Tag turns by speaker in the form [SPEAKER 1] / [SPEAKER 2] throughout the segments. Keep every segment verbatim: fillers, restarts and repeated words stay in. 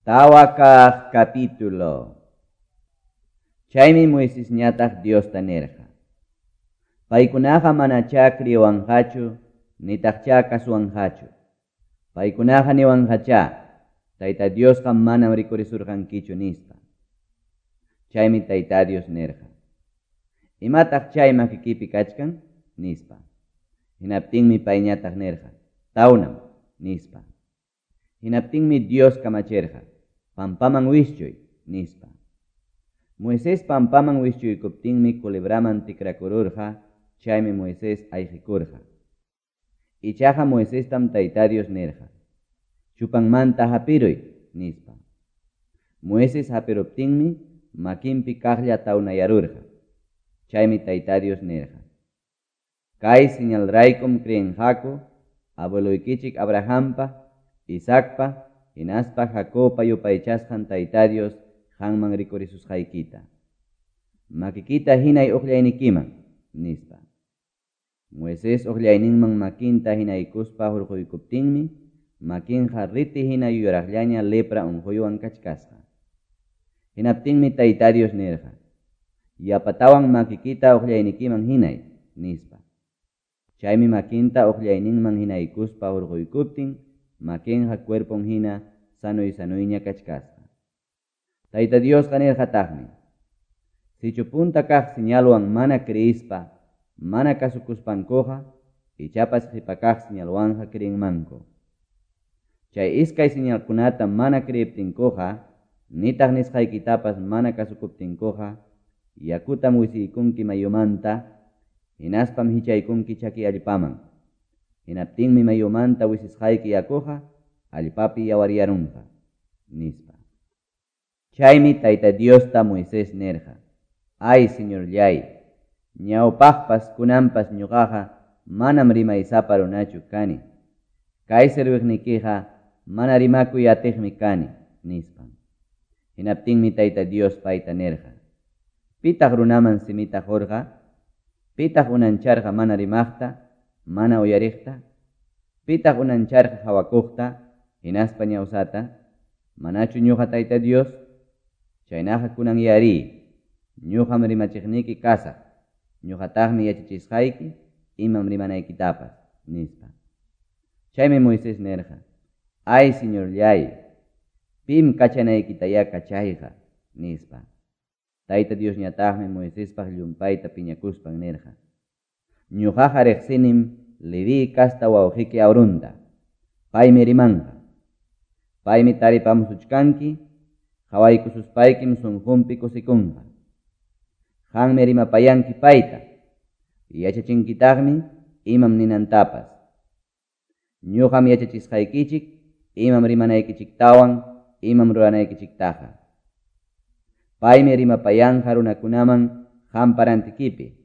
[SPEAKER 1] Tawa kaq capítulo. Chaymi Moisesñataq Diosta nirqa: Paykunaqa manachá creewanqachu, nitaqchá kasuwanqachu. Paykunaqa niwanqachá, Tayta Diosqa manam rikurisurqankichu nispa. Chaymi Tayta Dios nirqa: Imataq chay makikipi kachkan? Nispa. Hinaptinmi payñataq nirqa: Tawnam, nispa. Hinaptinmi Dios kamachirqa: Pampaman wischuy, nispa. Moisés pampaman wischuykuptinmi culebraman tikrakururqa, chaymi Moisés ayqikurqa. Ichaqa Moisestam Tayta Dios nirqa: Chupanmanta hapiruy, nispa. Moisés hapiruptinmi makinpi kaqlla tawnayarurqa. Chaymi Tayta Dios nirqa: Kay señalraykum creenqaku abueloykichik Abrahampa, Isaacpa, hinaspa Jacobpa yupaychasqan Tayta Dios qanman rikurisusqaykita. Makikita hinay uqllaynikiman, nispa. Moisés uqllayninman makinta hinaykuspa hurquykuptinmi, makinqa riti hina yuraqllaña lepra unquywan kachkasqa. Hinaptinmi Tayta Dios nirqa: Yapatawan makikita uqllaynikiman hinay, nispa. Chaymi makinta uqllayninman hinaykuspa hurquykuptin, makinqa cuerpon hina sanuy sanuyña kachkasqa. Tayta Diosqa nirqataqmi: Sichu punta kaq señalwan mana creispa, mana kasukuspankuqa, ichapas qipa kaq señalwanqa creenmanku. Chay iskay señalkunata mana creeptinkuqa, nitaq nisqaykitapas mana kasukuptinkuqa, yakutam wisiykunki mayumanta, hinaspam hichaykunki chaki allpaman. Hinaptinmi mayumanta wisisqayki yakuqa allpapi yawaryarunqa, nispa. Chaymi Tayta Diosta Moisés nirqa: Ay, Señorllay, ñawpaqpas kunanpas ñuqaqa manam rimaysapa runachu kani. Kay serviqnikiqa mana rimakuy atiqmi kani, nispa. Hinaptinmi Tayta Dios payta nirqa: Pitaq runaman simita qurqa? Pitaq unancharqa mana rimaqta, mana uyariqta? Pitaq unancharqa hawakuqta, hinaspa ñawsata? Manachu ñuqa Tayta Dios? Chaynaqa kunan yari, ñuqam rimachiqniki kasaq, ñuqataqmi yachachisqayki imam rimanaykitapas, nispa. Chaymi Moisés nirqa: Ay, Señorllay, pim kachanaykitayá kachayqa, nispa. Tayta Diosñataqmi Moisespaq llumpayta piñakuspan nirqa: Ñuqaqa riqsinim Leví kasta wawqiki Aaronta, paymi rimanqa. Paymi taripamusuchkanki, qhawaykususpaykim sunqunpi kusikunqa. Qanmi rimapayanki payta, yachachinkitaqmi imam ninantapas. Ñuqam yachachisqaykichik imam rimanaykichiktawan, imam ruranaykichiktaqa. Paymi rimapayanqa runakunaman qampa rantikipi.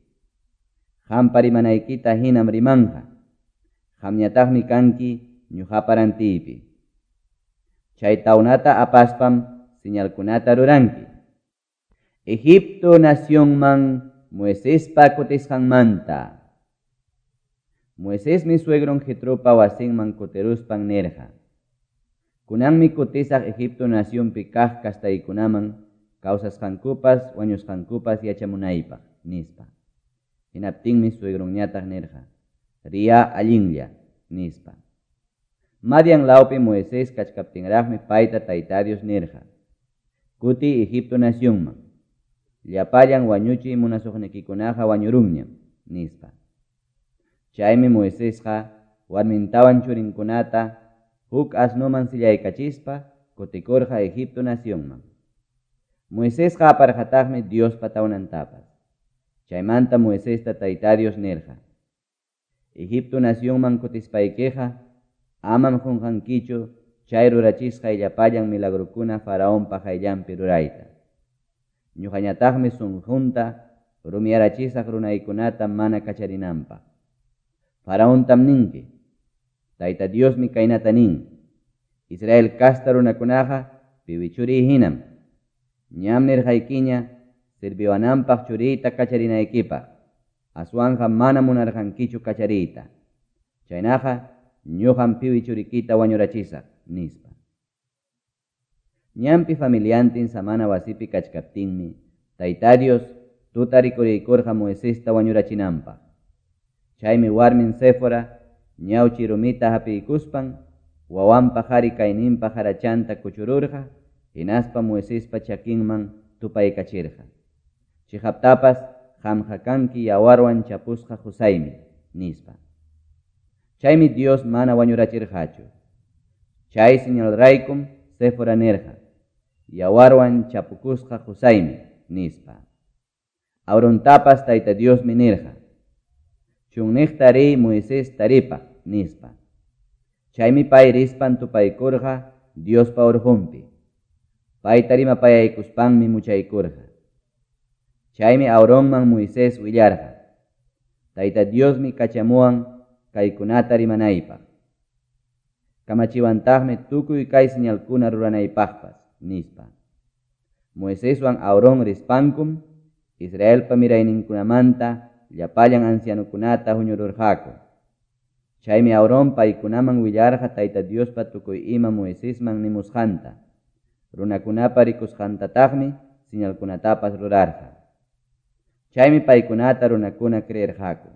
[SPEAKER 1] Qampa rimanaykita hinam rimanqa. Qamñataqmi kanki ñuqapa rantiypi. Chay tawnata apaspam señalkunata ruranki. Egipto nacionman Moisespa kutisqanmanta. Moisesmi suegron Jetropa wasinman kutiruspan nirqa: Kunanmi kutisaq Egipto nacionpi kaq kastaykunaman kawsasqankupas wañusqankupas yachamunaypaq, nispa. Hinaptinmi suegronñataq nirqa: Riya allinlla, nispa. Madian lawpi Moisés kachkaptinraqmi payta Tayta Dios nirqa: Kuti Egipto nacionman, llapallan wañuchiy munasuqnikikunaqa wañurunñam, nispa. Chaymi Moisesqa warmintawan churinkunata huk asnuman sillaykachispa kutikurqa Egipto nacionman. Moisesqa aparqataqmi Diospa tawnantapas. Chaymanta Moisesta Tayta Dios nirqa: Egipto nacionman kutispaykiqa amam qunqankichu chay rurachisqay llapallan milagrokuna faraonpa qayllanpi rurayta. Ñuqañataqmi sunqunta rumiyarachisaq runaykunata mana kacharinanpaq. Faraontam ninki: Tayta Diosmi kaynata nin: Israel kasta runakunaqa piwichuriy hinam. Ñam nirqaykiña sirviwananpaq churiyta kacharinaykipaq, aswanqa mana munarqankichu kachariyta. Chaynaqa ñuqam piwi churikita wañurachisaq, nispa. Ñanpi familiantin samana wasipi kachkaptinmi Tayta Dios tuta rikuriykurqa Moisesta wañurachinanpaq. Chaymi warmin Séfora ñawchiy rumita hapiykuspan wawanpa qari kayninpa qarachanta kuchururqa hinaspa Moisespa chakinman tupaykachirqa. Cheqaptapas qamqa kanki yawarwan chapusqa qosaymi, nispa. Chaymi Dios mana wañurachirqachu. Chay señalraykum Séfora nirqa, Yawarwan chapukusqa qosaymi, nispa. Aarontapas Tayta Diosmi nirqa, Chunniqta riy Moisés taripaq, nispa. Chaymi pay rispan tupaykurqa Diospa orqonpi. Payta rimapayaykuspanmi muchaykurqa. Chaymi Aaronman Moisés willarqa, Tayta Diosmi kachamuwan kaykunata rimanaypaq. Kamachiwantaqmi tukuy kay señalkuna ruranaypaqpas, nispa. Moiseswan Aarón rispankum Israelpa mirayninkunamanta llapallan ancianokunata huñururqaku. Chaymi Aarón paykunaman willarqa Tayta Diospa tukuy ima Moisesman nimusqanta, runakunapa rikusqantataqmi señalkunatapas rurarqa. Chaymi paykunata runakuna creerqaku.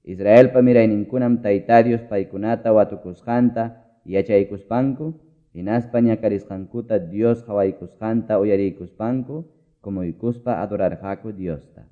[SPEAKER 1] Israelpa mirayninkunam Tayta Dios paykunata watukusqanta yachaykuspanku hinaspa ñakarisqankuta Dios qawaykusqanta uyariykuspanku kumuykuspa adorarqaku Diosta.